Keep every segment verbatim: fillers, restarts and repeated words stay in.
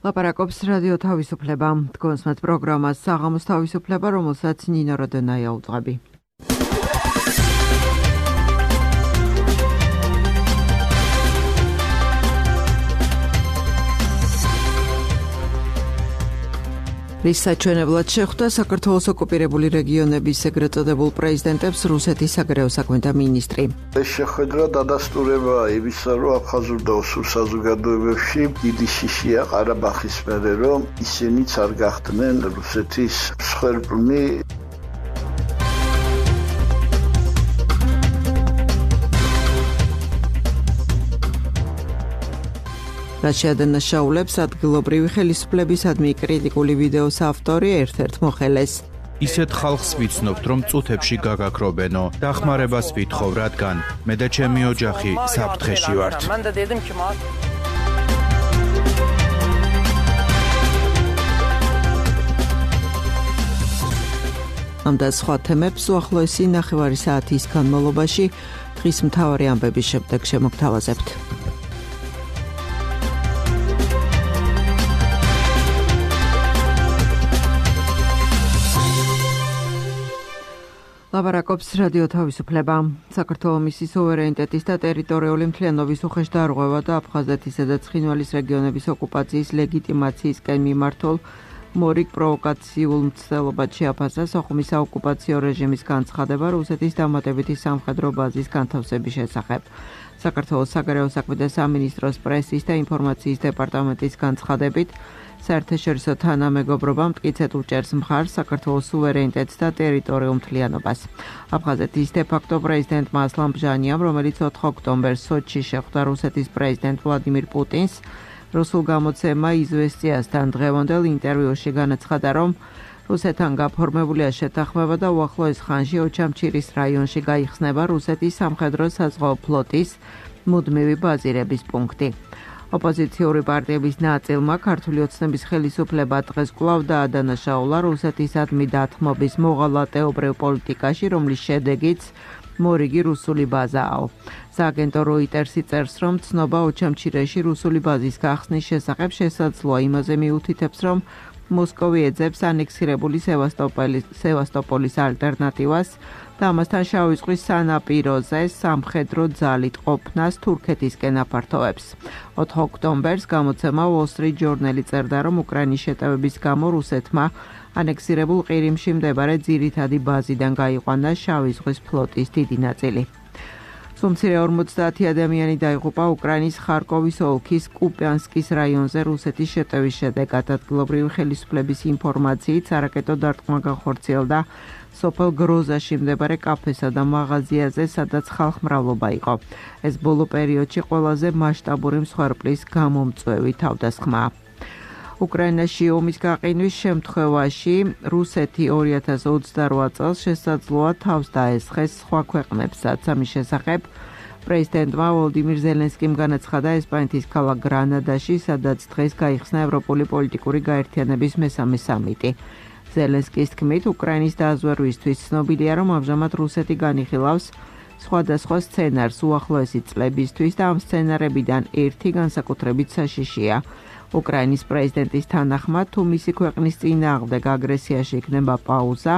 ლაპარაკობს რადიო თავისუფლება. თქვენს პროგრამას საღამოს თავისუფლება, რომელსაც ნინო როდონაია უძღვები. რის საჩვენებლად შეხვდა საქართველოს ოკუპირებული რეგიონების ეგრეთ წოდებულ პრეზიდენტებს რუსეთის საგარეო საქმეთა მინისტრი. ეს შეხვედრა დადასტურება იმისა, რომ აფხაზურ და ოსურ საზოგადოებებში დიდი შიშია ყარაბაღის მერე, რომ ისინიც არ გახდნენ რუსეთის მსხვერპლნი. რაც შეადანაშაულებს ადგილობრივი ხელისუფლებისადმი კრიტიკული ვიდეოს ავტორი ერთ-ერთ მოხელეს. ისეთ ხალხს ვიცნობთ, რომ წუთებში გაგაქრობენო. დახმარებას ვითხოვ, რადგან მე და ჩემი ოჯახი საფრთხეში ვართ. ამ და სხვა თემებს უახლოესი ნახევარი საათის განმავლობაში დღის მთავარი ამბების შემდეგ შემოგთავაზებთ. ლაპარაკობს რადიო თავისუფლება. საქართველოს მისი სუვერენიტეტის და ტერიტორიული მთლიანობის უხეშდარღვევა და აფხაზეთისა და ცხინვალის რეგიონების ოკუპაციის ლეგიტიმაციისკენ მიმართულ მორიგ პროვოკაციულ მცდელობად შეაფასა სოხუმის საოკუპაციო რეჟიმის განცხადება რუსეთის დამატებითი სამხედრო ბაზის განთავსების შესახებ. საქართველოს საგარეო საქმეთა სამინისტროს პრესის და ინფორმაციის დეპარტამენტის განცხადებით საერთაშორისო თანამეგობრობა მტკიცედ უჭერს მხარს საქართველოს სუვერენიტეტს და ტერიტორიულ მთლიანობას. აფხაზეთის დე-ფაქტო პრეზიდენტმა ასლან ბჟანიამ, რომელიც ოთხ ოქტომბერს სოჩში შეხვდა რუსეთის პრეზიდენტ ვლადიმირ პუტინს, რუსულ გამოცემა „იზვესტიასთან“ დღევანდელ ინტერვიუში განაცხადა, რომ რუსეთთან გაფორმებულია შეთანხმება და უახლოეს ხანში ოჩამჩირის რაიონში გაიხსნება რუსეთის სამხედრო საზღვაო ფლოტის მუდმივი ბაზირების პუნქტი. ოპოზიციური პარტიების ნაწილმა ქართული ოცნების ხელისუფლება დღეს კვლავ დაადანაშაულა რუსეთისადმი დათმობის მოღალატეობრივ პოლიტიკაში, რომლის შედეგიც მორიგი რუსული ბაზაა. სააგენტო როიტერსი წერს, რომ ცნობა ოჩამჩირეში რუსული ბაზის გახსნის შესახებ შესაძლოა, იმაზე მიუთითებს, რომ მოსკოვი ეძებს ანექსირებული სევასტოპოლის ალტერნატივას და ამასთან შავი ზღვის სანაპიროზე სამხედრო ძალით ყოფნას თურქეთისკენ აფართოვებს. ოთხ ოქტომბერს გამოცემა Wall Street Journal წერდა, რომ უკრაინის შეტევების გამო რუსეთმა ანექსირებულ ყირიმში მდებარე ძირითადი ბაზიდან გაიყვანა შავი ზღვის ფლოტის დიდი ნაწილი. სუმცირე ორმოცდაათი ადამიანი დაიღუპა უკრაინის ხარკოვის ოლქის კუპიანსკის რაიონზე რუსეთის შეტევის შედეგად. ადგილობრივი ხელისუფლების ინფორმაციით სარაკეტო დარტყმა განხორციელდა სოფელ გროზაში მდებარე კაფესა და მაღაზიაზე, სადაც ხალხმრავლობა იყო. ეს ბოლო პერიოდში ყველაზე მასშტაბური მსხვერპლის გამომწვევი თავდასხმაა. უკრაინაში ომის გაყინვის შემთხვევაში რუსეთი ორი ათას ოცდარვა წელს შესაძლოა თავს დაესხეს სხვა ქვეყნებსაც. ამის შესახებ პრეზიდენტმა ვოლოდიმირ ზელენსკიმ განაცხადა ესპანეთის ქალაქ გრანადაში, სადაც დღეს გაიხსნა ევროპული პოლიტიკური გაერთიანების მესამე სამიტი. ზელენსკის თქმით, უკრაინის დაზვერვისთვის ცნობილია, რომ ამჟამად რუსეთი განიხილავს სხვადასხვა სცენარს უახლოესი წლებისთვის და ამ სცენარებიდან ერთი განსაკუთრებით საშიშია. უკრაინის პრეზიდენტის თანახმად, თუ მისი ქვეყნის წინააღმდეგ აგრესიაში იქნება პაუზა,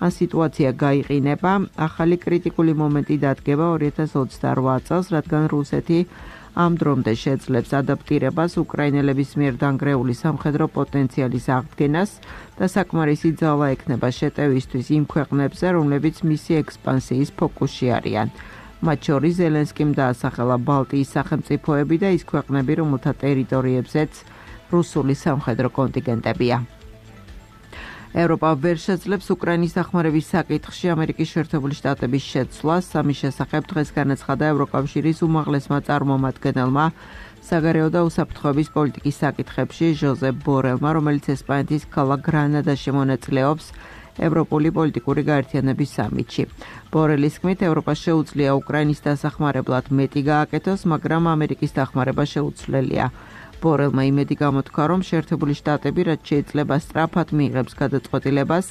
ან სიტუაცია გაიყინება, ახალი კრიტიკული მომენტი დადგება ორი ათას ოცდარვა წელს, რადგან რუსეთი ამ დრომდე შეძლებს ადაპტირებას უკრაინელების მიერ დანგრეული სამხედრო პოტენციალის აღდგენას და საკმარისი ძალა ექნება შეტევისთვის იმ ქვეყნებზე, რომლებიც მისი ექსპანსიის ფოკუსში არიან. მათ შორის ზელენსკიმ დაასახელა ბალტიის სახელმწიფოები და ის ქვეყნები, რომელთა ტერიტორიებზეც რუსული სამხედრო კონტინგენტებია. ევროპა ვერ შეძლებს უკრაინის დახმარების საკითხში ამერიკის შეერთებული შტატების შეცვლას. ამის შესახებ დღეს განაცხადა ევროკავშირის უმაღლესმა წარმომადგენელმა საგარეო და უსაფრთხოების პოლიტიკის საკითხებში ჟოზეფ ბორელმა, რომელიც ესპანეთის ქალაქ გრანადაში მონაწილეობს ევროპული პოლიტიკური გაერთიანების სამიტში. ბორელის თქმით, ევროპას შეუძლია უკრაინის დასახმარებლად მეტი გააკეთოს, მაგრამ ამერიკის დახმარება შეუცვლელია. ბორელმა იმედი გამოთქვა, რომ შეერთებული შტატები რაც შეიძლება სწრაფად მიიღებს გადაწყვეტილებას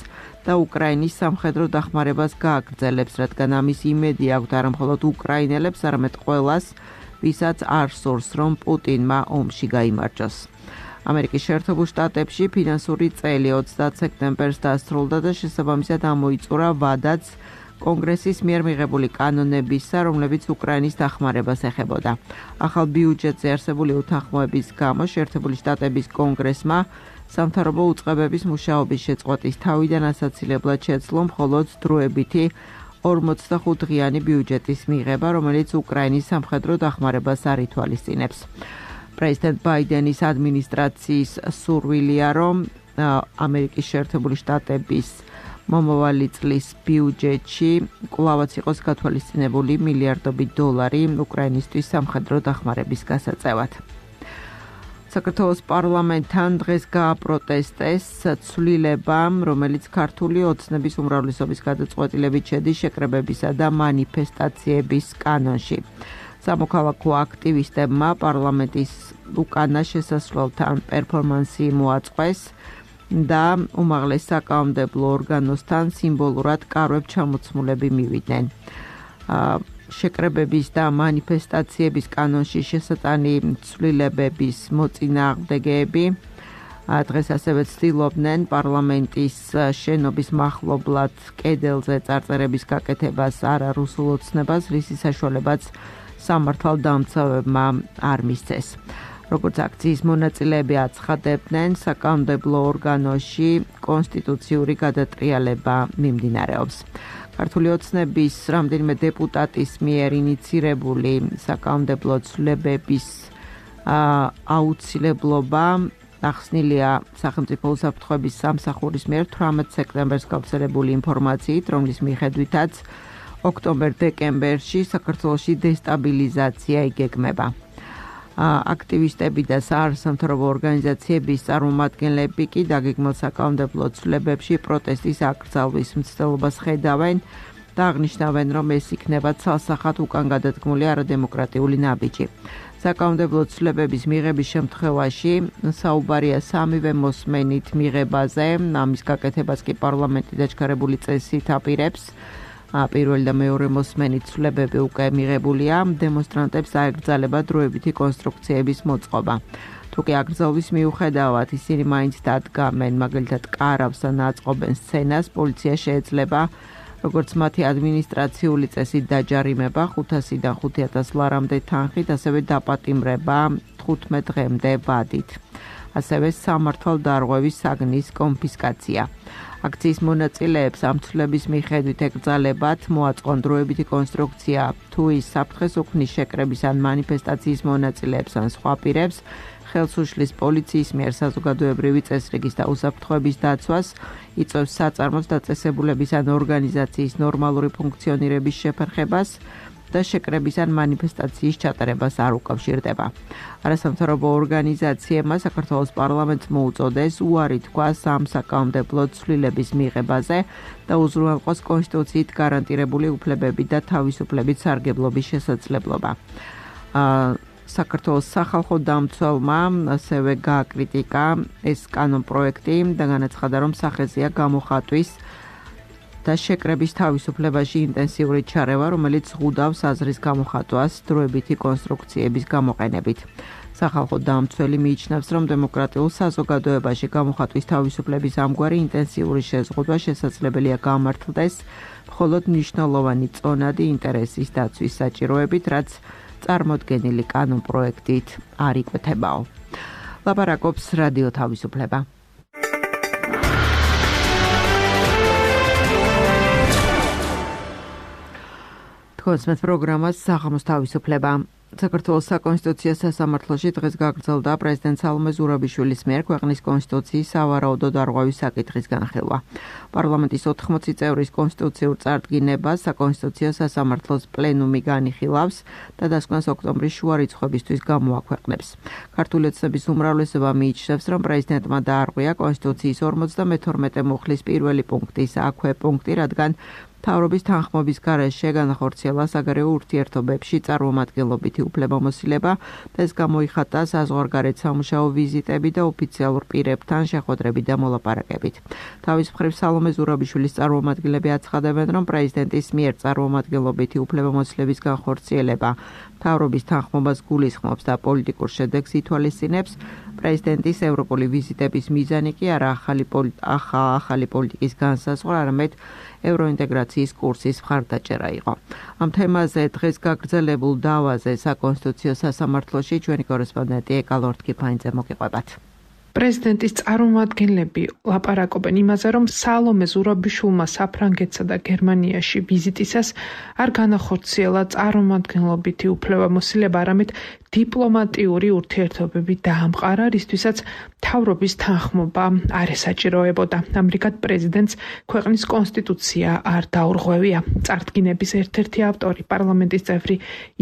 და უკრაინის სამხედრო დახმარებას გააგრძელებს, რადგან ამის იმედი აქვთ არა მხოლოდ უკრაინელებს, არამედ ყველას, ვისაც არ სურს, რომ პუტინმა ომში გაიმარჯვოს. ამერიკის შეერთებულ შტატებში ფინანსური წელი ოცდაათ სექტემბერს დასრულდა და შესაბამისად ამოიწურა ვადაც კონგრესის მიერ მიღებული კანონებისა, რომლებიც უკრაინის დახმარებას ეხებოდა. ახალ ბიუჯეტზე არსებული უთანხმოების გამო შეერთებული შტატების კონგრესმა სამთავრობო უწყებების მუშაობის შეწყვეტის თავიდან ასაცილებლად შეძლო მხოლოდ დროებითი ორმოცდახუთდღიანი ბიუჯეტის მიღება, რომელიც უკრაინის სამხედრო დახმარებას არ ითვალისწინებს. პრეზიდენტ ბაიდენის ადმინისტრაციის სურვილია, რომ ამერიკის შეერთებული შტატების მომავალი წლის ბიუჯეტში კვლავაც იყოს გათვალისწინებული მილიარდობით დოლარი უკრაინისთვის სამხედრო დახმარების გასაწევად. საქართველოს პარლამენტთან დღეს გააპროტესტეს ცვლილება, რომელიც ქართული ოცნების უმრავლესობის გადაწყვეტილებით შედის შეკრებებისა და მანიფესტაციების კანონში. სამოქალაქო აქტივისტებმა პარლამენტის უკანა შესასვლელთან პერფორმანსი მოაწყვეს და უმაღლეს საკანონმდებლო ორგანოსთან სიმბოლურად კარვებ ჩამოცმულები მივიდნენ. შეკრებების და მანიფესტაციების კანონში შესატანი ცვლილებების მოწინააღმდეგეები დღეს ასევე ცდილობდნენ პარლამენტის შენობის მახლობლად კედელზე წარწერების გაკეთებას არა რუსულ ოცნებას, რისი საშუალებაც სამართალდამცავებმა არ მისცეს. როგორც აქციის მონაწილეები აცხადებდნენ, საკანონმდებლო ორგანოში კონსტიტუციური გადატრიალება მიმდინარეობს. ქართული ოცნების რამდენიმე დეპუტატის მიერ ინიცირებული საკანონმდებლო ცვლილებების აუცილებლობა ახსნილია სახელმწიფო უსაფრთხოების სამსახურის მიერ თვრამეტ სექტემბერს გავრცელებული ინფორმაციით, რომლის მიხედვითაც ოქტომბერ-დეკემბერში საქართველოში დესტაბილიზაცია იგეგმება. აქტივისტები და საარსამთავრობო ორგანიზაციების წარმომადგენლები კი დაგეგმილ საკანონმდებლო ცვლილებებში პროტესტის აკრძალვის მცდელობას ხედავენ და აღნიშნავენ, რომ ეს იქნება ცალსახად უკან გადადგმული არადემოკრატიული ნაბიჯი. საკანონმდებლო ცვლილებების მიღების შემთხვევაში საუბარია სამივე მოსმენით მიღებაზე, ამის გაკეთებას კი პარლამენტი დაჩქარებული წესით აპირებს. პირველი და მეორე მოსმენით ცვლილებები უკვე მიღებულია, დემონსტრანტებს აეკრძალება დროებითი კონსტრუქციების მოწყობა. თუკი აკრძალვის მიუხედავად ისინი მაინც დადგამენ, მაგალითად კარავს ან აწყობენ სცენას, პოლიცია შეეძლება როგორც მათი ადმინისტრაციული წესით დაჯარიმება ხუთასიდან ხუთი ათას ლარამდე თანხით, ასევე დაპატიმრება თხუთმეტ დღემდე ვადით. ასევე სამართალდარღვევის საგნის კონფისკაცია. აქციის მონაწილეებს ამ ცვლილების მიხედვით ეკრძალებათ მოაწყონ დროებითი კონსტრუქცია თუ ის საფრთხეს უქმნის შეკრების ან მანიფესტაციის მონაწილეებს ან სხვა პირებს, ხელს უშლის პოლიციის მიერ საზოგადოებრივი წესრიგის და უსაფრთხოების დაცვას, იწვევს საწარმოს დაწესებულების ან ორგანიზაციის ნორმალური ფუნქციონირების შეფერხებას და შეკრების ან მანიფესტაციის ჩატარებას არ უკავშირდება. არასამთავრობო ორგანიზაციებმა საქართველოს პარლამენტს მოუწოდეს უარი თქვას ამ საკანონმდებლო ცვლილების მიღებაზე და უზრუნველყოს კონსტიტუციით გარანტირებული უფლებები და თავისუფლების სარგებლობის შესაძლებლობა. საქართველოს სახალხო დამცველმა ასევე გააკრიტიკა ეს კანონპროექტი და განაცხადა, რომ სახეზეა გამოხატვის და შეკრების თავისუფლებაში ინტენსიური ჩარევა, რომელიც ზღუდავს აზრის გამოხატვას დროებითი კონსტრუქციების გამოყენებით. სახალხო დამცველი მიიჩნევს, რომ დემოკრატიულ საზოგადოებაში გამოხატვის თავისუფლების ამგვარი ინტენსიური შეზღუდვა შესაძლებელია გამართლდეს მხოლოდ მნიშვნელოვანი წონადი ინტერესის დაცვის საჭიროებით, რაც წარმოდგენილი კანონპროექტით არ იკვეთებაო. ლაპარაკობს რადიო თავისუფლება. თქოსმეთ პროგრამას საღამოს თავისუფლება. საქართველოს საკონსტიტუციო სასამართლოში დღეს გაგრძელდა პრეზიდენტ სალომე ზურაბიშვილის მიერ ქვეყნის კონსტიტუციის სავარაუდო დარღვევის საკითხის განხილვა. პარლამენტის ოთხმოცი წევრის კონსტიტუციურ წარდგინებას საკონსტიტუციო სასამართლოს პლენუმი განიხილავს და დასკვნას ოქტომბრის შუა რიცხვებისთვის გამოაქვეყნებს. ქართული ოცნების უმრავლესობა მიიჩნევს, რომ პრეზიდენტმა დაარღვია კონსტიტუციის ორმოცდამეთორმეტე მუხლის პირველი პუნქტის აქვე პუნქტი, რადგან მთავრობის თანხმობის გარეშე განახორციელა საგარეო ურთიერთობებში წარმომადგენლობითი უფლებამოსილება და ეს გამოიხატა საზღვარგარეთ სამუშაო ვიზიტები და ოფიციალურ პირებთან შეხვედრებით და მოლაპარაკებით. თავის მხრივ სალომე ზურაბიშვილის წარმომადგენლები აცხადებენ, რომ პრეზიდენტის მიერ წარმომადგენლობითი უფლებამოსილების განხორციელება მთავრობის თანხმობას გულისხმობს და პოლიტიკურ შედეგს ითვალისწინებს. პრეზიდენტის ევროპული ვიზიტების მიზანი კი არა ახალი ახალი პოლიტიკის განსაზღვრა, არამედ ევროინტეგრაციის კურსის მხარდაჭერა იყო. ამ თემაზე დღეს გაგრძელებულ დავაზე საკონსტიტუციო სასამართლოში ჩვენი კორესპონდენტი ეკა ლორთქიფაინძე მოგიყვებათ. პრეზიდენტის წარმომადგენლები ლაპარაკობენ იმაზე, რომ სალომე ზურაბიშვილმა საფრანგეთსა და გერმანიაში ვიზიტისას არ განახორციელა წარმომადგენლობითი უფლებამოსილება, არამედ დიპლომატიური ურთიერთობები დაამყარა, რისთვისაც მთავრობის თანხმობა არ ესაჭიროებოდა. ამრიგად პრეზიდენტს ქვეყნის კონსტიტუცია არ დაურღვევია. წარდგინების ერთ-ერთი ავტორი პარლამენტის წევრი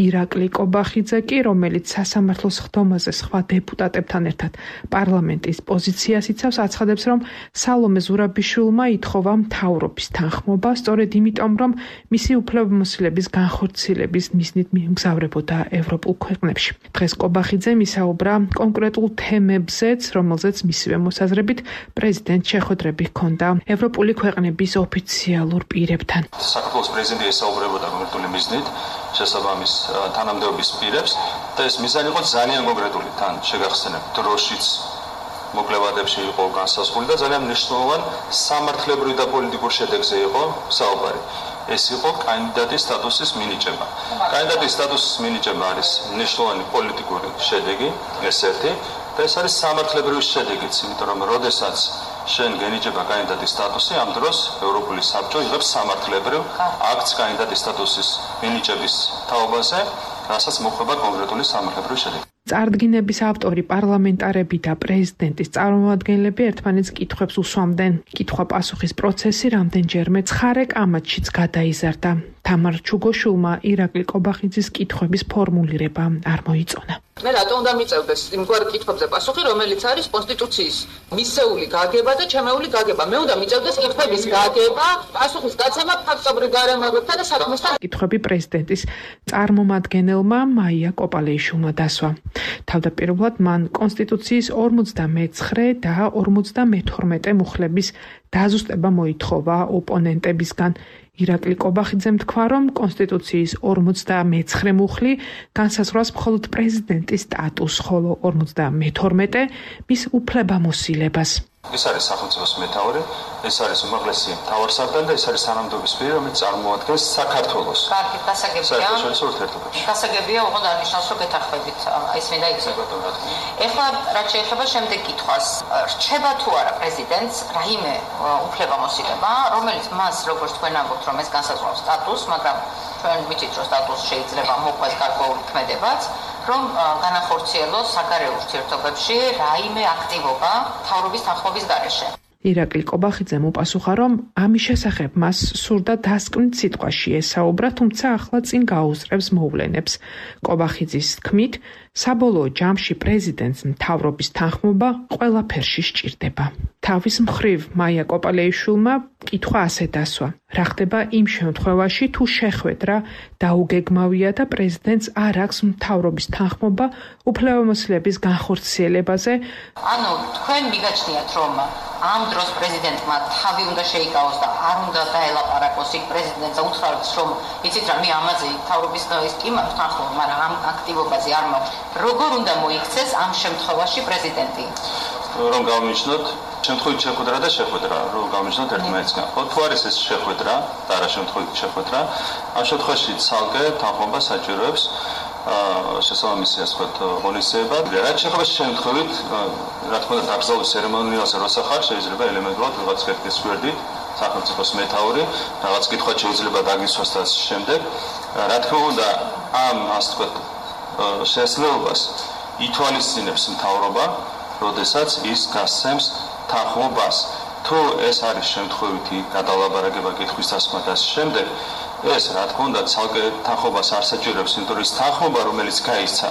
ირაკლი კობახიძე კი, რომელიც სასამართლოს ხდომაზე სხვა დეპუტატებთან ერთად პარლამენტის პოზიციას იცავს, აცხადებს, რომ სალომე ზურაბიშვილმა ითხოვა მთავრობის თანხმობა, სწორედ იმიტომ, რომ მისი უფლებამოსილების განხორციელების მიზნით მიემგზავრებოდა ევროპულ ქვეყნებში. დღეს კობახიძემ ისაუბრა კონკრეტულ თემებზეც, რომელზეც მისივე მოსაზრებით პრეზიდენტს შეხვედრები ჰქონდა ევროპული ქვეყნების ოფიციალურ პირებთან. საქართველოს პრეზიდენტი ესაუბრებოდა კონკრეტული მიზნით შესაბამის თანამდებობის პირებს და ეს მიზანი იყო ძალიან კონკრეტული, თან შეგახსენებ დროშიც მოკლებადებში იყო განსაზღვრული და ძალიან მნიშვნელოვანი სამართლებრივი და პოლიტიკური შედეგზე იყო საუბარი. ეს იყო კანდიდატის სტატუსის მინიჭება. კანდიდატის სტატუსის მინიჭება არის მნიშვნელოვანი პოლიტიკური შედეგი, ეს ერთი, და ეს არის სამართლებრივი შედეგიც, იმიტომ რომ როდესაც შენ გენიჭება კანდიდატის სტატუსი, ამ დროს ევროპული საბჭო იღებს სამართლებრივ აქტს კანდიდატის სტატუსის მინიჭების თაობაზე, რასაც მოხდება კონკრეტული სამართლებრივი შედეგი. წარდგინების ავტორი პარლამენტარები და პრეზიდენტის წარმომადგენლები ერთმანეთს კითხვებს უსვამდნენ. კითხვა-პასუხის პროცესი რამდენჯერმე ცხარე კამათშიც გადაიზარდა. თამარ ჩუგოშვილმა ირაკლი კობახიძის კითხვების ფორმულირება არ მოიწონა. მე რატო უნდა მიწევდეს იმგვარ კითხვებზე პასუხი, რომელიც არის კონსტიტუციის მისეული გაგება და ჩემეული გაგება. მე უნდა მიწევდეს კითხვების გაგება, პასუხის გაცემა ფაქტობრივ გარემოებებთან და საქმესთან. კითხვები პრეზიდენტის წარმომადგენელმა მაია კოპალეიშვილმა დასვა. თავდაპირველად მან კონსტიტუციის ორმოცდამეცხრე და ორმოცდამეთორმეტე მუხლების დაზუსტება მოითხოვა ოპონენტებისგან. ირაკლი კობახიძემ თქვა, რომ კონსტიტუციის ორმოცდამეცხრე მუხლი განსაზღვრავს მხოლოდ პრეზიდენტის სტატუსს, ხოლო ორმოცდამეთორმეტე მის უფლებამოსილებას. ეს არის სახელმწიფოს მეთაური, ეს არის უმაღლესი მთავარსარდალი და ეს არის თანამდებობის პირი, რომელიც წარმოადგენს საქართველოს. კარგი, გასაგებია. საერთაშორისო გასაგებია, უყოდ არნიშნავს, რომ გეთანხმებით, ის მინდა იცოდეთ. ეხლა რაც შეეხება შემდეგ კითხვას, რჩება თუ არა პრეზიდენტს რაიმე უფლებამოსილება, რომელიც მას, როგორც თქვენ ამბობთ, რომ ეს განსაზღვრავს სტატუსს, მაგრამ ჩვენ ვიცით, რომ სტატუსს შეიძლება მოყვეს გარკვეული ქმედებაც, რომ განახორციელოს საგარეო ურთიერთობებში რაიმე აქტივობა მთავრობის თანხმობის გარეშე. ირაკლი კობახიძემ უპასუხა, რომ ამის შესახებ მას სურდა დასკვნით სიტყვაში ესაუბრა, თუმცა ახლა წინ გაუსწრებს მოვლენებს. კობახიძის თქმით, საბოლოო ჯამში პრეზიდენტს მთავრობის თანხმობა ყველაფერში სჭირდება. თავის მხრივ მაია კოპალეიშვილმა კითხვა ასე დასვა: რა ხდება იმ შემთხვევაში, თუ შეხვედრა დაუგეგმავია და პრეზიდენტს არ აქვს მთავრობის თანხმობა უფლებამოსილების განხორციელებაზე? ანუ თქვენ მიგაჩნიათ, რომ ამ დროს პრეზიდენტმა თავი უნდა შეიკავოს და არ უნდა დაელაპარაკოს იქ პრეზიდენტს, უთხრავს, რომ იცით რა, მე ამაზე მთავრობის ის კი მაქვს თანხმობა, მაგრამ ამ აქტივობაზე არ მაქვს. როგორ უნდა მოიქცეს ამ შემთხვევაში პრეზიდენტი? რომ გავნიშნოთ შემთხვევით შეხვედრა და შეხვედრა, რომ გავნიშნოთ ერთმანეთსგან. ხო, თუ არის ეს შეხვედრა და არა შემთხვევით შეხვედრა, ამ შემთხვევაში ცალკე თანხმობა საჭიროებს შესაბამისი ასე ვთქვათ ღონისძიება. რაც შეეხება შემთხვევით, რა თქმა უნდა, დაკრძალვის ცერემონიალზე როცა ხარ, შეიძლება ელემენტურად რაღაც კითხვის გვერდით სახელმწიფოს მეთაური, რაღაც კითხვა შეიძლება დაგისვას და შემდეგ. რა თქმა უნდა, ამ ასე ვთქვათ შესაძლებლობას ითვალისწინებს მთავრობა, როდესაც ის გასცემს თანხმობას. თუ ეს არის შემთხვევითი გადალაბარაკება კითხვის დასმა და შემდეგ, ეს რა თქმა უნდა ცალკე თანხმობას არ საჭიროებს, იმიტომ რომ ის თანხმობა, რომელიც გაისცა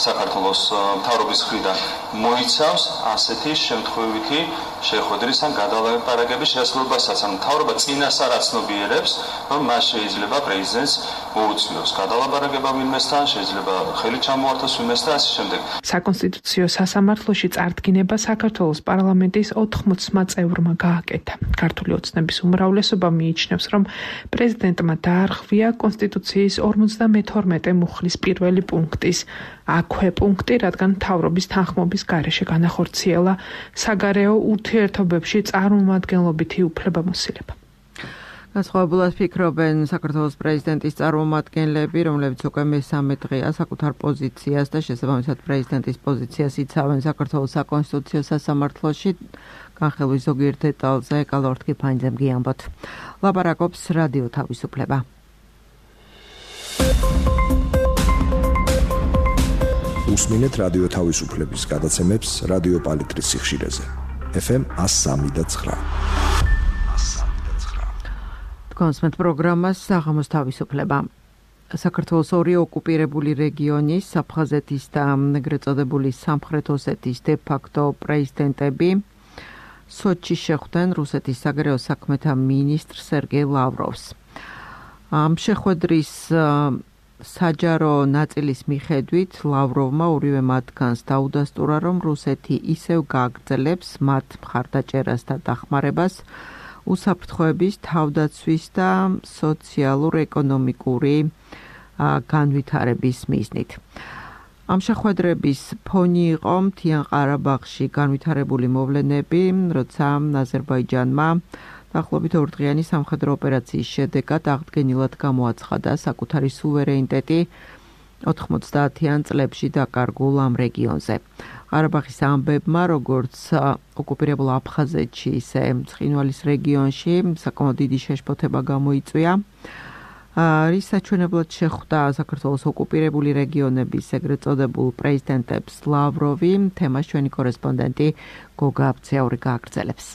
საქართველოს მთავრობის მხრიდან, მოიცავს ასეთი შემთხვევითი შეხვედრის ან გადალაპარაკების შესაძლებლობასაც. ან მთავრობა წინასწარ აცნობიერებს, რომ მას შეიძლება პრეზიდენტს მოუწიოს გადალაპარაკება ვინმესთან, შეიძლება ხელი ჩამოართოს ვინმესთან და ასე შემდეგ. საკონსტიტუციო სასამართლოში წარდგინება საქართველოს პარლამენტის ოთხმოცმა წევრმა გააკეთა. ქართული ოცნების უმრავლესობა მიიჩნევს, რომ პრეზიდენტმა დაარღვია კონსტიტუციის ორმოცდამეთორმეტე მუხლის პირველი პუნქტის აქვე პუნქტი, რადგან მთავრობის თანხმობის გარეშე განახორციელა საგარეო ურთიერთობებში წარმომადგენლობითი უფლებამოსილება. განსხვავებულად ფიქრობენ საქართველოს პრეზიდენტის წარმომადგენლები, რომლებიც უკვე მესამე დღეა საკუთარ პოზიციას და შესაბამისად პრეზიდენტის პოზიციას იცავენ საქართველოს საკონსტიტუციო სასამართლოში. განხილვის ზოგიერთ დეტალზე კალორთ კიფანიძემ გიამბოთ. ლაპარაკობს რადიო თავისუფლება. უსმინეთ რადიო თავისუფლების გადაცემებს რადიო პალიტრის სიხშირეზე. ეფ ემ one oh three point nine. კონსმეთ პროგრამას საღამოს თავისუფლება. საქართველოს ორი ოკუპირებული რეგიონის, აფხაზეთის და ეგრეთ წოდებული სამხრეთ ოსეთის დე-ფაქტო პრეზიდენტები სოჩში შეხვდნენ რუსეთის საგარეო საქმეთა მინისტრ სერგეი ლავროვს. ამ შეხვედრის საჯარო ნაწილის მიხედვით ლავროვმა ორივე მათგანს დაუდასტურა, რომ რუსეთი ისევ გააგრძელებს მათ მხარდაჭერას და დახმარებას უსაფრთხოების, თავდაცვის და სოციალურ-ეკონომიკური განვითარების მიზნით. ამ შეხვედრების ფონი იყო მთიან ყარაბაღში განვითარებული მოვლენები, როცა აზერბაიჯანმა დაახლოებით ორდღიანი სამხედრო ოპერაციის შედეგად აღდგენილად გამოაცხადა საკუთარი სუვერენიტეტი ოთხმოცდაათიან წლებში დაკარგულ ამ რეგიონზე. ყარაბაღის ამბებმა, როგორც ოკუპირებულ აფხაზეთში, ისე ცხინვალის რეგიონში საკმაოდ დიდი შეშფოთება გამოიწვია. რის საჩვენებლად შეხვდა საქართველოს ოკუპირებული რეგიონების ეგრეთ წოდებულ პრეზიდენტებს ლავროვი, თემას ჩვენი კორესპონდენტი გოგა აბცეაური გააგრძელებს.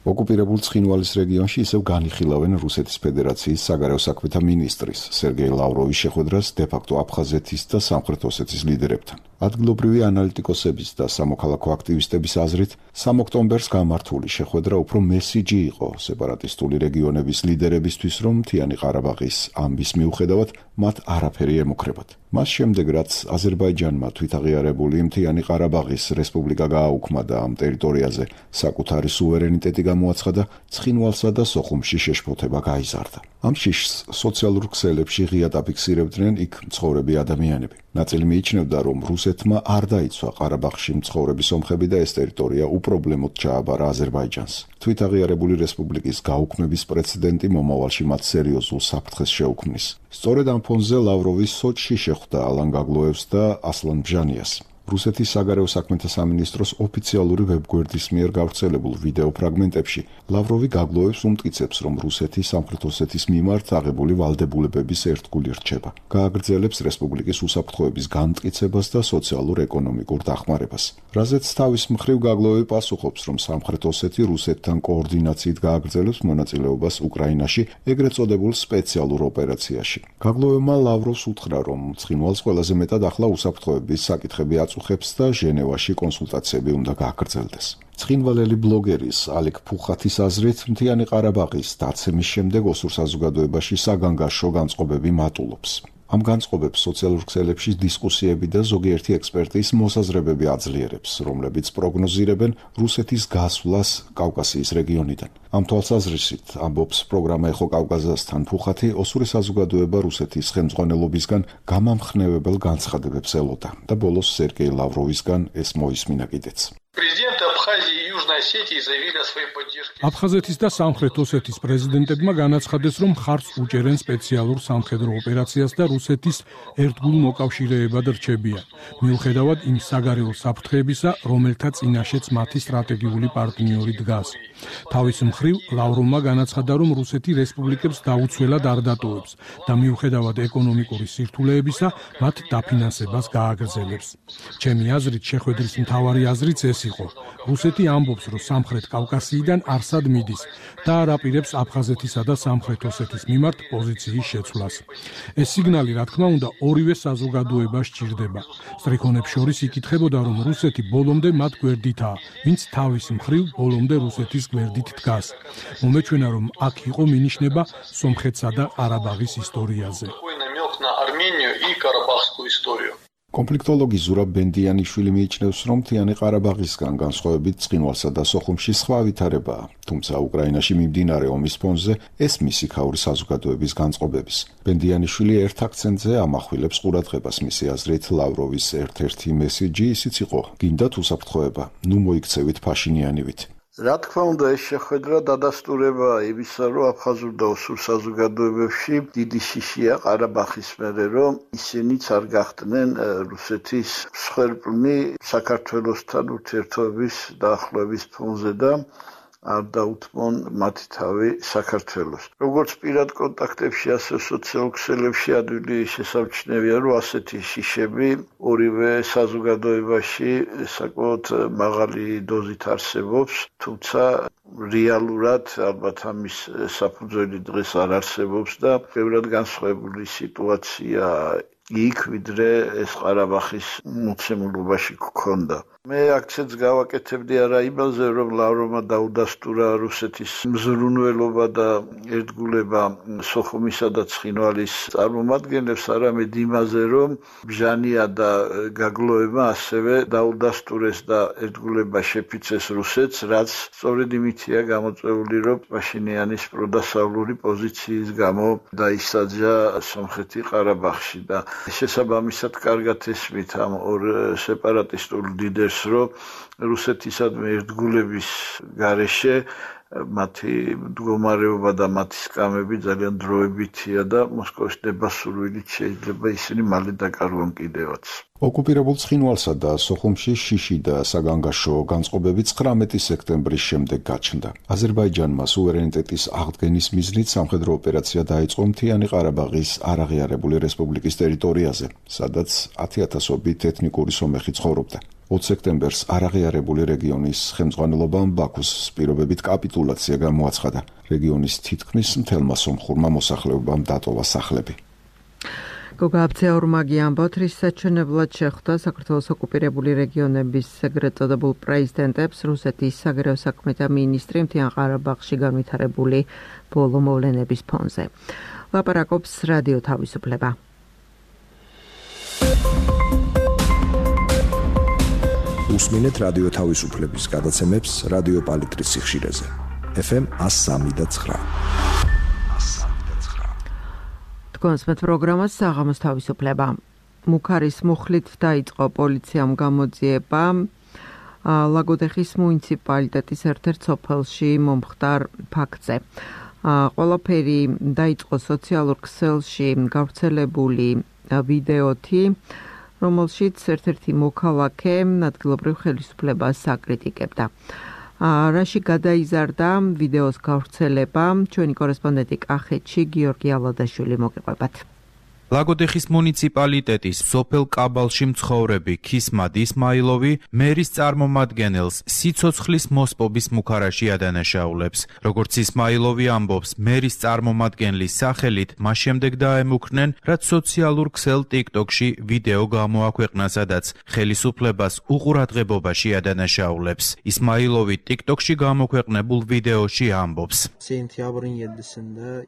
ოკუპირებულ ცხინვალის რეგიონში ისევ განიხილავენ რუსეთის ფედერაციის საგარეო საქმეთა მინისტრის სერგეი ლავროვის შეხვედრას დე-ფაქტო აფხაზეთის და სამხრეთ ოსეთის ლიდერებთან. ადგილობრივი ანალიტიკოსების და სამოქალაქო აქტივისტების აზრით, სამი ოქტომბერს გამართული შეხვედრა უფრო მესიჯი იყო სეპარატისტული რეგიონების ლიდერებისთვის, რომ მთიანი ყარაბაღის ამბის მიუხედავად მათ არაფერი ემუქრებათ. მას შემდეგ, რაც აზერბაიჯანმა თვითაღიარებული მთიანი ყარაბაღის რესპუბლიკა გააუქმა და ამ ტერიტორიაზე საკუთარი სუვერენიტეტი გამოაცხადა, ცხინვალსა და სოხუმში შეშფოთება გაიზარდა. ამ შიშს სოციალურ ქსელებში ღიად აფიქსირებდნენ იქ მცხოვრები ადამიანები. ნაწილი მიიჩნევდა, რომ რუსეთმა არ დაიცვა ყარაბაღში მცხოვრები სომხები და ეს ტერიტორია უპრობლემოდ ჩააბარა აზერბაიჯანს. თვითაღიარებული რესპუბლიკის გაუქმების პრეცედენტი მომავალში მათ სერიოზულ საფრთხეს შეუქმნის. სწორედ ამ ფონზე ლავროვი სოჩში შეხვდა ალან გაგლოევს და ასლან ბჟანიას. რუსეთის საგარეო საქმეთა სამინისტროს ოფიციალური ვებგვერდის მიერ გავრცელებულ ვიდეო ფრაგმენტებში ლავროვი გაგლოევს უმტკიცებს, რომ რუსეთი სამხრეთ ოსეთის მიმართ აღებული ვალდებულებების ერთგული რჩება. გააგრძელებს რესპუბლიკის უსაფრთხოების განმტკიცებას და სოციალურ-ეკონომიკურ დახმარებას. რაზეც თავის მხრივ გაგლოევი პასუხობს, რომ სამხრეთ ოსეთი რუსეთთან კოორდინაციით გააგრძელებს მონაწილეობას უკრაინაში ეგრეთ წოდებულ სპეციალურ ოპერაციაში. გაგლოევმა ლავროვს უთხრა, რომ ცხინვალს ყველაზე მეტად ახლა უსაფრთხოების საკითხები აწუხებს და ჟენევაში კონსულტაციები უნდა გააგრძელდეს. ცხინვალელი ბლოგერის ალეკ ფუხათის აზრით, მთიანი ყარაბაღის დაცემის შემდეგ ოსურ საზოგადოებაში საგანგაშო განწყობები მატულობს. ამ განწყობებს სოციალურ ქსელებში დისკუსიები და ზოგიერთი ექსპერტის მოსაზრებები აძლიერებს, რომლებიც პროგნოზირებენ რუსეთის გასვლას კავკასიის რეგიონიდან. ამ თვალსაზრისით, ამბობს პროგრამა ეხო კავკასიასთან ფუხათი, ოსური საზოგადოება რუსეთის ხელმძღვანელობისგან გამამხნევებელ განცხადებებს ელოდა და ბოლოს სერგეი ლავროვისგან ეს მოისმინა კიდეც. აფხაზეთის და სამხრეთ ოსეთის პრეზიდენტებმა განაცხადეს, რომ ხარს უჭერენ სპეციალურ სამხედრო ოპერაციას და რუსეთის ერთგულ მოკავშირეებად რჩებიან, მიუხედავად იმ საგარეო საფრთხეებისა, რომელთა წინაშეც მათი სტრატეგიული პარტნიორი დგას. თავის მხრივ, ლავროვმა განაცხადა, რომ რუსეთი რესპუბლიკებს დაუცველად არ დატოვებს და მიუხედავად ეკონომიკური სირთულეებისა, მათ დაფინანსებას გააგრძელებს. ჩემი აზრით, შეხვედრის მთავარი აზრიც ეს იყო. რუსეთი ამბობს, რომ სამხრეთ კავკასიიდან არსად მიდის და არ აპირებს აფხაზეთისა და სამხრეთ ოსეთის მიმართ პოზიციის შეცვლას. ეს სიგნალი, რა თქმა უნდა, ორივე საზოგადოებას სჭირდება. სტრიქონებს შორის იკითხებოდა, რომ რუსეთი ბოლომდე მათ გვერდითაა, ვინც თავის მხრივ ბოლომდე რუსეთის გვერდით დგას. მომეჩვენა, რომ აქ იყო მინიშნება სომხეთსა და ყარაბაღის ისტორიაზე. კონფლიქტოლოგი ზურაბ ბენდიანიშვილი მიიჩნევს, რომ მთიანი ყარაბაღისგან განსხვავებით ცხინვალსა და სოხუმში სხვა ვითარებაა, თუმცა უკრაინაში მიმდინარე ომის ფონზე ეს მისი ქაური საზოგადოების განწყობების. ბენდიანიშვილი ერთ აქცენტზე ამახვილებს ყურადღებას, მისი აზრით ლავროვის ერთ-ერთი მესიჯი ისიც იყო: გინდათ უსაფრთხოება, ნუ მოიქცევით ფაშინიანივით. რა თქმა უნდა, ეს შეხვედრა დადასტურება იმისა, რომ აფხაზურ და ოსურ საზოგადოებებში დიდი შიშია ყარაბაღის მერე, რომ ისინიც არ გახდნენ რუსეთის მსხვერპლნი საქართველოსთან ურთიერთობის დაახლოების ფონზე და არ დაუთმონ მათი თავი საქართველოს. როგორც პირად კონტაქტებში, ასე სოციალურ ქსელებში ადვილი შესამჩნევია, რომ ასეთი შიშები ორივე საზოგადოებაში საკმაოდ მაღალი დოზით არსებობს, თუმცა რეალურად ალბათ ამის საფუძველი დღეს არ არსებობს და ბევრად განსხვავებული სიტუაცია იქ, ვიდრე ეს ყარაბაღის მოცემულობაში გქონდა. მე აქცენტს გავაკეთებდი არა იმაზე, რომ ლავროვმა დაუდასტურა რუსეთის მზრუნველობა და ერთგულება სოხუმისა და ცხინვალის წარმომადგენლებს, არამედ იმაზე, რომ ბჟანია და გაგლოება ასევე დაუდასტურეს და ერთგულება შეფიცეს რუსეთს, რაც სწორედ იმითია გამოწვეული, რომ პაშინიანის პროდასავლური პოზიციის გამო დაისაჯა სომხეთი ყარაბაღში და შესაბამისად კარგად ესმით ამ ორ სეპარატისტულ ლიდერს, რომ რუსეთისადმი ერთგულების გარეშე მათი მდგომარეობა და მათი სკამები ძალიან დროებითია და მოსკოვის დებასურვილით შეიძლება ისინი მალე დაკარგონ კიდევაც. ოკუპირებულ ცხინვალსა და სოხუმში შიში და საგანგაშო განწყობები ცხრამეტი სექტემბრის შემდეგ გაჩნდა. აზერბაიჯანმა სუვერენიტეტის აღდგენის მიზნით სამხედრო ოპერაცია დაიწყო მთიანი ყარაბაღის არაღიარებული რესპუბლიკის ტერიტორიაზე, სადაც ათი ათასობით ეთნიკური სომეხი ცხოვრობდა. ოც სექტემბერს არაღიარებული რეგიონის ხელმძღვანელობამ ბაქოს პირობებით კაპიტულაცია გამოაცხადა. რეგიონის თითქმის მთელმა სომხურმა მოსახლეობამ დატოვა სახლები. გოგა აბცეაურმაგი ამბობთ, რის საჩვენებლად შეხვდა საქართველოს ოკუპირებული რეგიონების ეგრეთ წოდებულ პრეზიდენტებს რუსეთის საგარეო საქმეთა მინისტრი მთიან ყარაბაღში განვითარებული ბოლო მოვლენების ფონზე. ლაპარაკობს რადიო თავისუფლება. უსმინეთ რადიო თავისუფლების გადაცემებს რადიო პალიტრის სიხშირეზე. ეფ ემ one oh three point nine. კონსმეთ პროგრამას საღამოს თავისუფლება. მუქარის მუხლით დაიწყო პოლიციამ გამოძიება ლაგოდეხის მუნიციპალიტეტის ერთ-ერთ სოფელში მომხდარ ფაქტზე. ყველაფერი დაიწყო სოციალურ ქსელში გავრცელებული ვიდეოთი, რომელშიც ერთ-ერთი მოქალაქე ადგილობრივ ხელისუფლებას აკრიტიკებდა. რაში გადაიზარდა ვიდეოს გავრცელება, ჩვენი კორესპონდენტი კახეთში გიორგი ალადაშვილი მოგიყვებათ. ლაგოდეხის მუნიციპალიტეტის სოფელ კაბალში მცხოვრები ქისმად ისმაილოვი მერის წარმომადგენელს სიცოცხლის მოსპობის მუქარაში ადანაშაულებს. როგორც ისმაილოვი ამბობს, მერის წარმომადგენლის სახელით მას შემდეგ დაემუქრნენ, რაც სოციალურ ქსელ TikTok-ში ვიდეო გამოაქვეყნა, სადაც ხელისუფლებას უყურადღებობაში ადანაშაულებს. ისმაილოვი TikTok-ში გამოქვეყნებულ ვიდეოში ამბობს: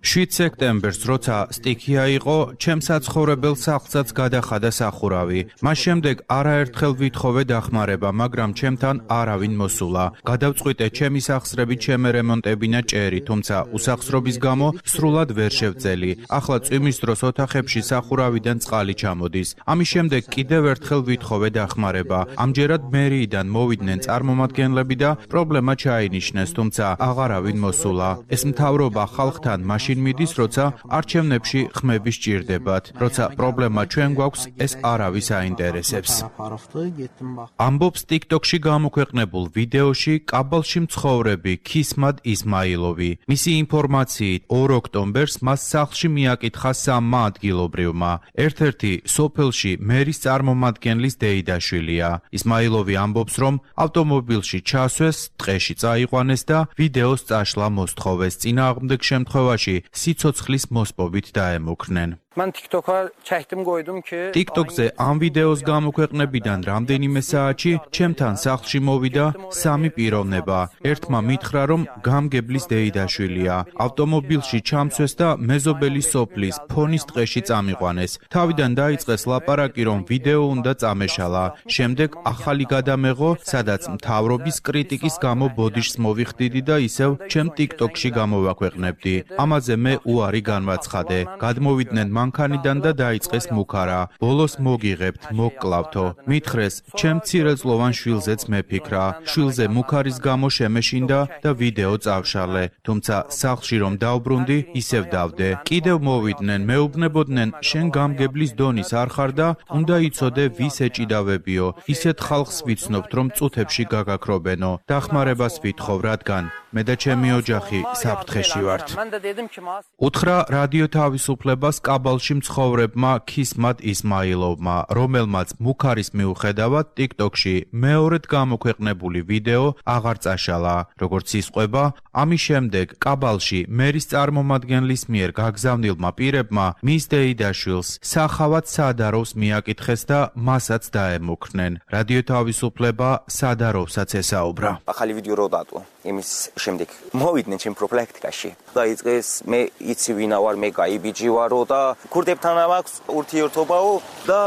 შვიდ სექტემბერს, როცა სტიქია იყო, ჩემს საცხოვრებელ სახლსაც გადახადა სახურავი. მას შემდეგ არაერთხელ ვითხოვე დახმარება, მაგრამ ჩემთან არავინ მოსულა. გადავწყვიტე ჩემი სახსრებით შემერემონტებინა ჭერი, თუმცა უსახსრობის გამო სრულად ვერ შევძელი. ახლა წვიმის დროს ოთახებში სახურავიდან წყალი ჩამოდის. ამის შემდეგ კიდევ ერთხელ ვითხოვე დახმარება. ამჯერად მერიიდან მოვიდნენ წარმომადგენლები და პრობლემა ჩაინიშნეს, თუმცა აღარავინ მოსულა. ეს მთავრობა ხალხთან მაშინ მიდის, როცა არჩევნებში ხმები სჭირდებათ. ვთქვათ, როცა პრობლემა ჩვენ გვაქვს, ეს არავის აინტერესებს. ამბობს TikTok-ში გამოქვეყნებულ ვიდეოში კაბალში მცხოვრები ქისმად ისმაილოვი. მისი ინფორმაციით, ორ ოქტომბერს მას სახლში მიაკითხა სამმა ადგილობრივმა. ერთ-ერთი სოფელში მერის წარმომადგენლის დეიდაშვილია. ისმაილოვი ამბობს, რომ ავტომობილში ჩასვეს, ტყეში წაიყვანეს და ვიდეოს წაშლა მოსთხოვეს. წინააღმდეგ შემთხვევაში სიცოცხლის მოსპობით დაემუქრნენ. მან TikTok-ა ჩაიხდიმ გოიდუმ კი TikTok-ზე ამ ვიდეოს გამოქვეყნებიდან რამდენიმე საათში ჩემთან სახლში მოვიდა სამი პიროვნება. ერთმა მითხრა, რომ გამგებლის დეიდაშვილია. ავტომობილში ჩამცვეს და მეზობელი სოფლის ფონის ტყეში წამიყვანეს. თავიდან დაიწყეს ლაპარაკი, რომ ვიდეო უნდა წამეშალა. შემდეგ ახალი გადამეღო, სადაც მთავრობის კრიტიკის გამო ბოდიშს მოვიხდიდი და ისევ ჩემ TikTok-ში გამოვაქვეყნებდი. ამაზე მე უარი განვაცხადე. გადმოვიდნენ მანქანიდან და დაიწყეს მუქარა. ბოლოს მოგიღებთ, მოგკლავთო. მითხრეს, ჩემ მცირეწლოვან შვილზეც მეფიქრა. შვილზე მუქარის გამო შემეშინდა და ვიდეო წავშალე. თუმცა სახლში რომ დავბრუნდი, ისევ დავდე. კიდევ მოვიდნენ, მეუბნებოდნენ, შენ გამგებლის დონის არ ხარ და უნდა იცოდე ვის ეჭიდავებიო. ისეთ ხალხს ვიცნობთ, რომ წუთებში გაგაქრობენო. დახმარებას ვითხოვ, რადგან მე და ჩემი ოჯახი საფრთხეში ვართ. უთხრა რადიო თავისუფლებას კაბალში მცხოვრებმა ქისმად ისმაილოვმა, რომელმაც მუქარის მიუხედავად TikTok-ში მეორედ გამოქვეყნებული ვიდეო აღარ წაშალა. როგორც ისყვება, ამის შემდეგ კაბალში მერის წარმომადგენლის მიერ გაგზავნილმა პირებმა მის დეიდაშვილს სახავად სადაროვს მიაკითხეს და მასაც დაემუქრნენ. რადიო თავისუფლება სადაროვსაც ესაუბრა. ახალი ვიდეო რო დატო იმის შემდეგ მოვიდნენ ჩემ პროფილაქტიკაში. დაიწყეს მე იცი ვინა ვარ, მე გაიბიჯი ვარო და ქურდებთან აქვს ურთიერთობაო და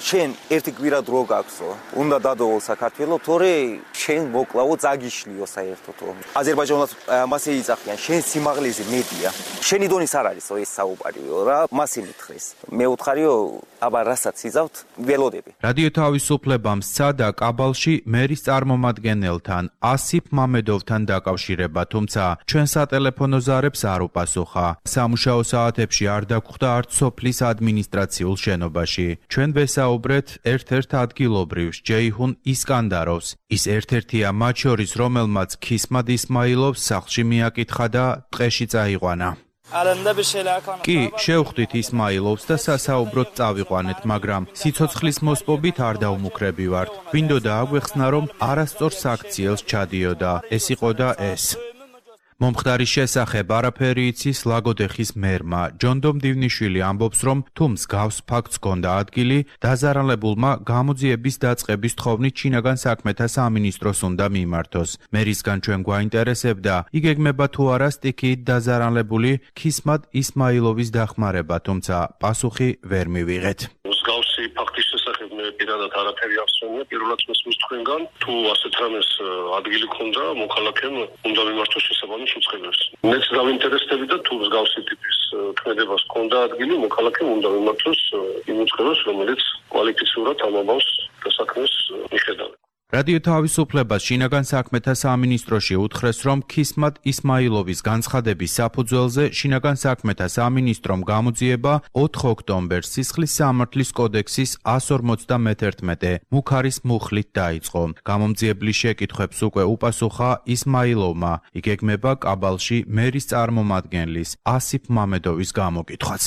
შენ ერთი კვირა დრო გაქვსო. უნდა დადოვო საქართველოს, თორე შენ მოკლავო წაგიშლიო საერთოდ. აზერბაიჯანს მასე იწახიან, შენ სიმაღლეზე მედია. შენი დონის არ არისო ეს საუბარიო რა, მასე მითხრეს. მე უთხარიო, აბა რასაც იზავთ, ველოდები. რადიო თავისუფლებამ სცადა კაბალში მერის წარმომადგენელთან ასიფ მამედოვთან დაკავშირება, თუმცა ჩვენ სატელეფონო ზარებს არ უპასუხა. სამუშაო საათებში არ დაგხვდა არც სოფლის ადმინისტრაციულ შენობაში. ჩვენ ვესაუბრეთ ერთ-ერთ ადგილობრივს, ჯეიჰուն ისკანდაროვს. ის ერთ-ერთია მათ შორის, რომელმაც ქისმად ისმაილოვს სახლში მიაკითხა და ტყეში წაიყვანა. კი, შევხვდით ისმაილოვს და სასაუბროდ წავიყვანეთ, მაგრამ სიცოცხლის მოსპობით არ დაუმუქრები ვართ. გვინდოდა აგვეხსნა, რომ არასწორ საქციელს ჩადიოდა. ეს იყო და ეს. მომხდარის შესახებ არაფერი იცის ლაგოდეხის მერმა. ჯონდო მდივნიშვილი ამბობს, რომ თუ მსგავს ფაქტს ჰქონდა ადგილი, დაზარალებულმა გამოძიების დაწყების თხოვნით შინაგან საქმეთა სამინისტროს უნდა მიმართოს. მერისგან ჩვენ გვაინტერესებდა, იგეგმება თუ არა სტიქიით დაზარალებული ქისმად ისმაილოვის დახმარება, თუმცა პასუხი ვერ მივიღეთ. მსგავსი ფაქტის შესახებ მე პირადად არაფერი აღსვენია, პირველად მოსმის თქვენგან, თუ ასეთ რამეს ადგილი ქონდა, მოქალაქემ უნდა მიმართოს შესაბამის უწყებებს. მეც დავინტერესდები და თუ მსგავსი ტიპის ქმედებას ქონდა ადგილი, მოქალაქემ უნდა მიმართოს იმ უწყებებს, რომელიც კვალიფიციურად ამ ამბავს და საქმეს მიხედავენ. რადიო თავისუფლებას შინაგან საქმეთა სამინისტროში უთხრეს, რომ ქისმად ისმაილოვის განცხადების საფუძველზე შინაგან საქმეთა სამინისტრომ გამოძიება ოთხ ოქტომბერს სისხლის სამართლის კოდექსის εκατს ორმოცდამეერთმეტე მუქარის მუხლით დაიწყო. გამომძიებლის შეკითხვებს უკვე უპასუხა ისმაილოვმა. იგეგმება კაბალში მერის წარმომადგენლის ასიფ მამედოვის გამოკითხვაც.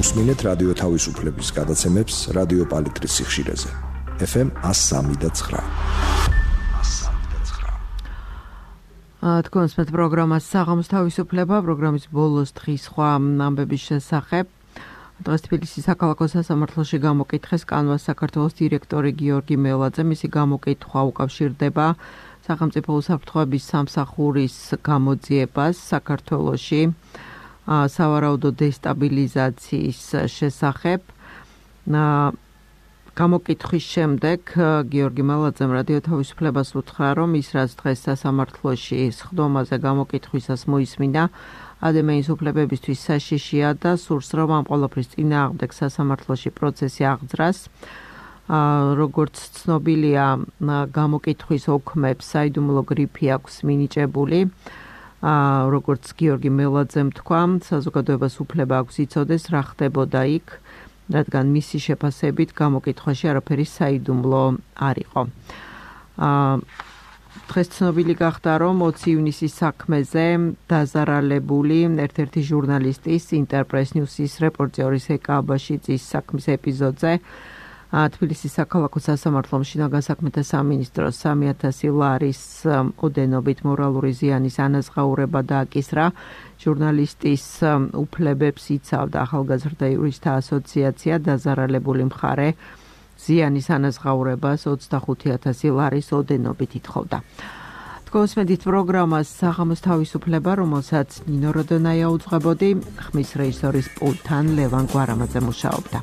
უსმინეთ რადიო თავისუფლების გადაცემებს რადიო პალიტრის სიხშირეზე. ეფ ემ εκατს სამი და ცხრა. თქვენს მეტ პროგრამას საღამოს თავისუფლება, პროგრამის ბოლოს დღის სხვა ამბების შესახებ. დღეს თბილისის საქალაქო სასამართლოში გამოკითხეს კანვას საქართველოს დირექტორი გიორგი მელაძე. მისი გამოკითხვა უკავშირდება სახელმწიფო უსაფრთხოების სამსახურის გამოძიებას საქართველოში სავარაუდო დესტაბილიზაციის შესახებ. გამოკითხვის შემდეგ გიორგი მელაძემ რადიო თავისუფლებას უთხრა, რომ ის რაც დღეს სასამართლოში სხდომაზე გამოკითხვისას მოისმინა, ადამიანის უფლებებისთვის საშიშია და სურს, რომ ამ ყველაფრის წინააღმდეგ სასამართლოში პროცესი აღძრას. როგორც ცნობილია, გამოკითხვის ოქმებს საიდუმლო გრიფი აქვს მინიჭებული. აა როგორც გიორგი მელაძემ თქვა, საზოგადოებას უფლება აქვს იცოდეს რა ხდებოდა იქ, რადგან მისი შეფასებით გამოკითხვაში არაფერი საიდუმლო არ იყო. აა დღეს ცნობილი გახდა, რომ ოცი ივნისის საქმეზე დაზარალებული ერთ-ერთი ჟურნალისტის ინტერპრეს ნიუსის რეპორტერის ეკა აბაშიძის საქმის ეპიზოდზე თბილისის საქალაქო სასამართლომ შინაგან საქმეთა სამინისტროს სამი ათასი ლარის ოდენობით მორალური ზიანის ანაზღაურება დააკისრა. ჟურნალისტის უფლებებს იცავდა ახალგაზრდა იურისტთა ასოციაცია, დაზარალებული მხარე ზიანის ანაზღაურებას ოცდახუთი ათასი ლარის ოდენობით ითხოვდა. თქვენსმენთ პროგრამას საღამოს თავისუფლება, რომელსაც ნინო როდონაია უძღვებოდი, ხმის რეჟისორის პულტთან ლევან გვარამაძე მუშაობდა.